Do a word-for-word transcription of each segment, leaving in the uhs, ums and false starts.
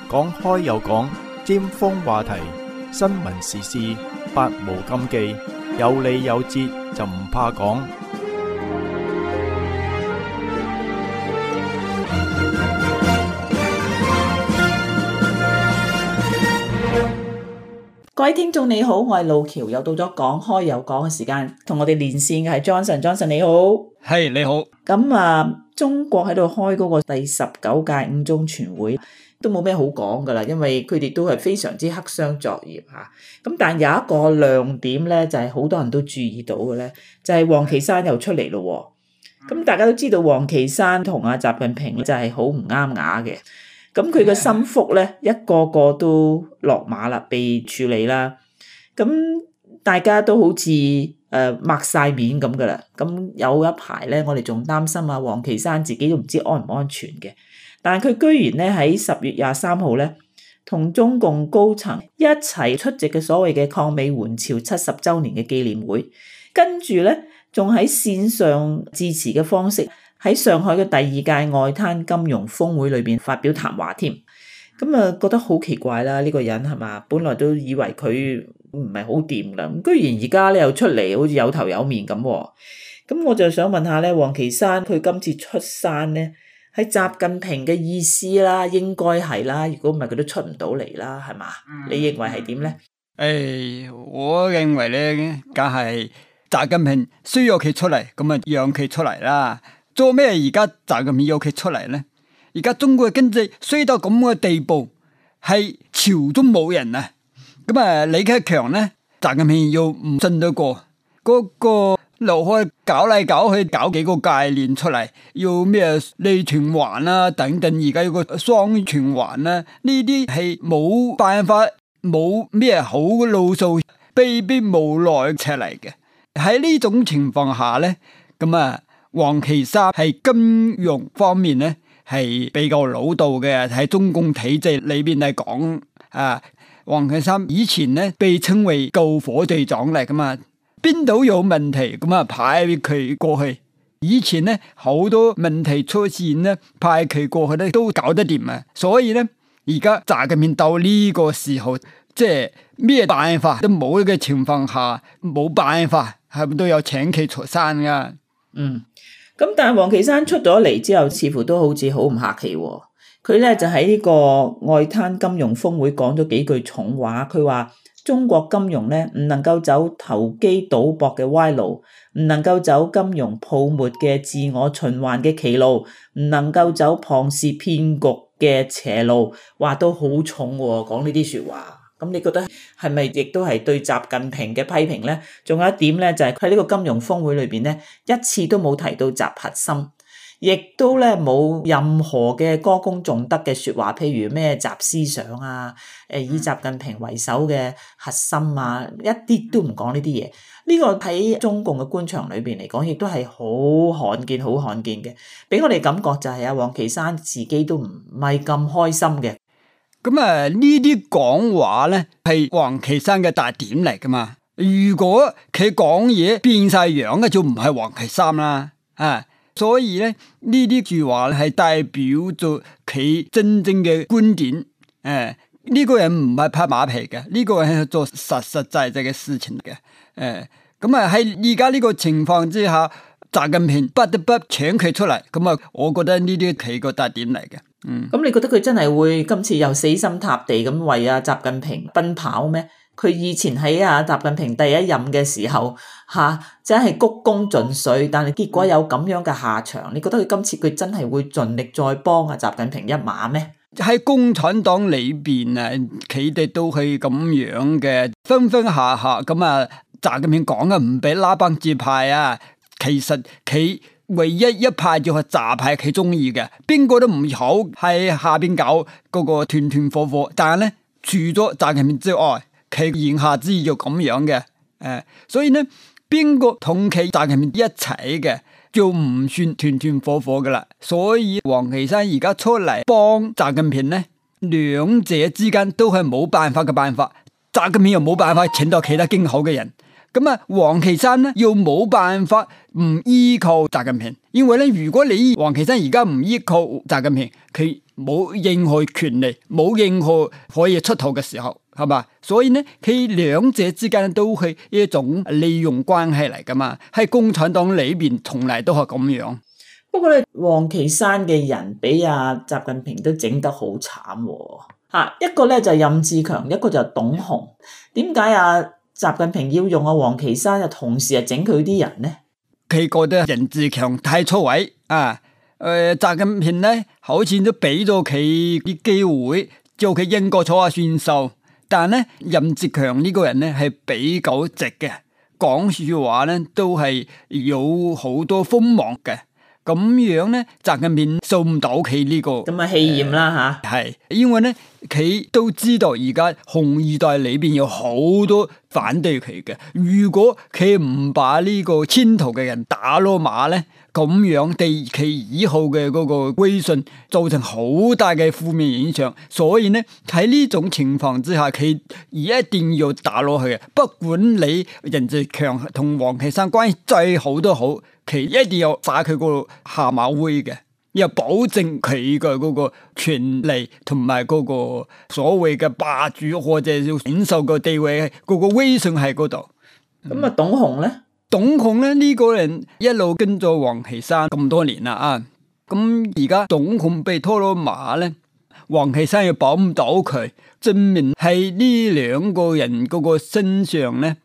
講開又講，尖鋒話題，新聞時事，百無禁忌，有理有節就唔怕講。各位聽眾你好，我係路橋，又到咗講開又講嘅時間，同我哋連線嘅係 Johnson，Johnson 你好，係你好。咁啊，中國喺度開嗰個第十九屆五中全會，都冇咩好講噶啦，因為佢哋都係非常之黑箱作業吓。咁但有一個亮點咧，就係好多人都注意到嘅咧，就係王岐山又出嚟咯。咁大家都知道王岐山同阿習近平就係好唔啱牙嘅。咁佢嘅心腹咧，一個個都落馬啦，被處理啦。咁大家都好似誒擘晒面咁噶啦。咁有一排咧，我哋仲擔心啊，王岐山自己都唔知安唔安全嘅。但係佢居然咧喺十月廿三號咧，同中共高層一齊出席嘅所謂嘅抗美援朝七十週年嘅紀念會，跟住咧仲喺線上致辭嘅方式，喺上海嘅第二屆外灘金融峰會裏邊發表談話添，咁啊覺得好奇怪啦，呢個人係嘛？本來都以為佢唔係好掂啦，咁居然而家咧又出嚟，好似有頭有面咁。咁我就想問下咧，王岐山佢今次出山咧，係習近平嘅意思啦，應該係啦，如果唔係佢都出唔到嚟啦，係嘛？嗯、你認為係點咧？誒、哎，我認為咧，梗係習近平需要佢出嚟，咁啊讓佢出嚟啦。做咩而家習近平要佢出嚟呢？而家中國嘅經濟衰到咁嘅地步，係朝中冇人啊！咁啊，李克強呢，習近平要唔信得過，嗰、那個劉開搞嚟搞去，搞幾個概念出嚟，要咩內循環啦等等，而家有個雙循環啦，呢啲係冇辦法，冇咩好嘅路數，被逼無奈出嚟嘅。喺呢種情況下呢，咁啊。王岐山係金融方面咧係比較老道嘅，喺中共體制裏邊嚟講，啊，王岐山以前咧被稱為救火隊長嚟噶嘛，邊度有問題咁啊派佢過去。以前咧好多問題出現咧，派佢過去咧都搞得掂啊。所以咧而家習近平到呢個時候，即係咩辦法都冇嘅情況下，冇辦法係咪都有請佢出山噶？嗯。咁但係王岐山出咗嚟之後，似乎都好似好唔客氣喎。佢咧就喺呢個外灘金融峰會講咗幾句重話。佢話中國金融咧唔能夠走投機賭博嘅歪路，唔能夠走金融泡沫嘅自我循環嘅歧路，唔能夠走龐氏騙局嘅邪路。話都好重喎，講呢啲說話。咁你覺得係咪亦都係對習近平嘅批評咧？仲有一點咧，就係佢喺呢個金融峰會裏邊咧，一次都冇提到習核心，亦都咧冇任何嘅歌功頌德嘅說話，譬如咩習思想啊，誒以習近平為首嘅核心啊，一啲都唔講呢啲嘢。呢個喺中共嘅官場裏邊嚟講，亦都係好罕見、好罕見嘅。俾我哋感覺就係阿王岐山自己都唔係咁開心嘅。咁啊，呢啲講話咧係王岐山嘅特點嚟噶嘛？如果佢講嘢變晒樣嘅，就唔係王岐山啦啊！所以咧呢啲句話係代表咗佢真正嘅觀點。誒、啊，呢、這個人唔係拍馬屁嘅，呢、這個人係做實實在在嘅事情嘅。誒、啊，咁啊喺而家呢個情況之下，習近平不得不請佢出嚟。咁啊，我覺得呢啲係個特點嚟嘅。嗯，咁你覺得佢真係會今次又死心塌地咁為阿習近平奔跑咩？佢以前喺阿習近平第一任嘅時候，吓、啊、真係鞠躬盡瘁，但係結果有咁樣嘅下場。你覺得佢今次佢真係會盡力再幫阿習近平一馬咩？喺共產黨裏邊啊，佢哋都係咁樣嘅，分分下下咁啊。習近平講嘅唔俾拉幫結派啊，其實佢。唯一一派就係習派佢中意嘅，邊個都唔好喺下邊搞嗰個團團伙伙。但係咧，除咗習近平之外，佢言下之意就咁樣嘅。誒、呃，所以咧，邊個同佢習近平一齊嘅，就唔算團團伙伙噶啦。所以王岐山而家出嚟幫習近平咧，兩者之間都係冇辦法嘅辦法。習近平又冇辦法請到其他更好嘅人。咁啊，王岐山咧又冇辦法唔依靠習近平，因為咧，如果你王岐山而家唔依靠習近平，佢冇任何權利，冇任何可以出頭嘅時候，係嘛？所以呢，佢兩者之間都係一種利用關係嚟噶嘛。喺共產黨裏邊，從嚟都係咁樣。不過咧，王岐山嘅人俾阿習近平都整得好慘喎。吓，一個咧就係任志強，一個就係董鴻。點解阿習近平要用阿王岐山，又同時係整佢啲人呢？佢覺得任志強太出位啊！誒、呃，習近平咧好似都俾咗佢啲機會，叫佢英國坐下算數。但係咧，任志強呢個人咧係比較直嘅，講說話咧都係有好多鋒芒嘅。咁樣咧，習近平受唔到佢呢個咁啊氣焰啦吓，係因為咧佢都知道而家紅二代裏邊有好多反對佢嘅。如果佢唔把呢個牽頭嘅人打落馬咧，咁樣對佢以後嘅嗰個威信造成好大嘅負面影響。所以咧喺呢種情況之下，佢一定要打落去嘅。不管你任志強同王岐山關係最好都好，佢一定要耍佢個下馬威嘅，要保證佢嘅嗰個權利同埋嗰個所謂嘅霸主或者要領袖嘅地位，嗰、那個威信喺嗰度。咁啊、嗯，董鴻咧？董鴻咧呢、這個人一路跟咗王岐山咁多年啦啊，咁而家董鴻被拖落馬咧，王岐山又保唔到佢，證明喺呢兩個人嗰個身上咧，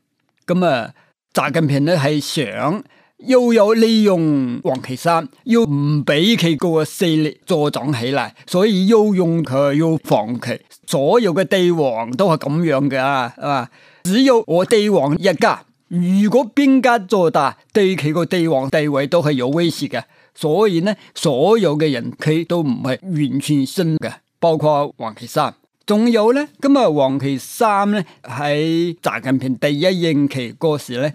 咁啊，習近平咧係想。又有利用王岐山，又唔俾佢嗰個勢力助長起來，所以要用佢，要防佢。所有嘅帝王都係咁樣嘅啊，係嘛？只有我帝王一家，如果邊家做大，對佢個帝王地位都係有威脅嘅。所以呢，所有嘅人佢都唔係完全信嘅，包括王岐山。仲有咧，咁啊，王岐山咧喺習近平第一任期嗰時咧。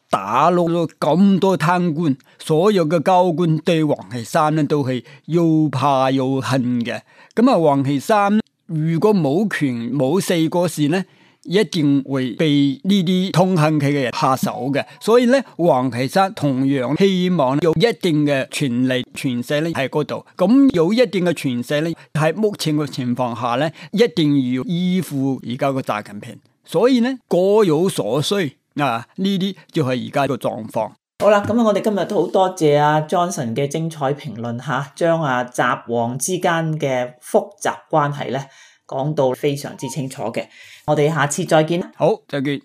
打落咗咁多貪官，所有嘅高官對王岐山咧都係又怕又恨嘅。咁啊，王岐山如果冇權冇勢嗰時咧，一定會被呢啲痛恨佢嘅人下手嘅。所以咧，王岐山同樣希望有一定嘅權力權勢咧喺嗰度。咁有一定嘅權勢咧，喺目前嘅情況下咧，一定要依附而家個習近平。所以咧，各有所需。啊！呢啲就係而家個狀況。好啦，咁啊，我哋今日都好多謝阿 Johnson 嘅精彩評論吓，將啊習王之間嘅複雜關係咧講到非常之清楚嘅。我哋下次再見。好，再見。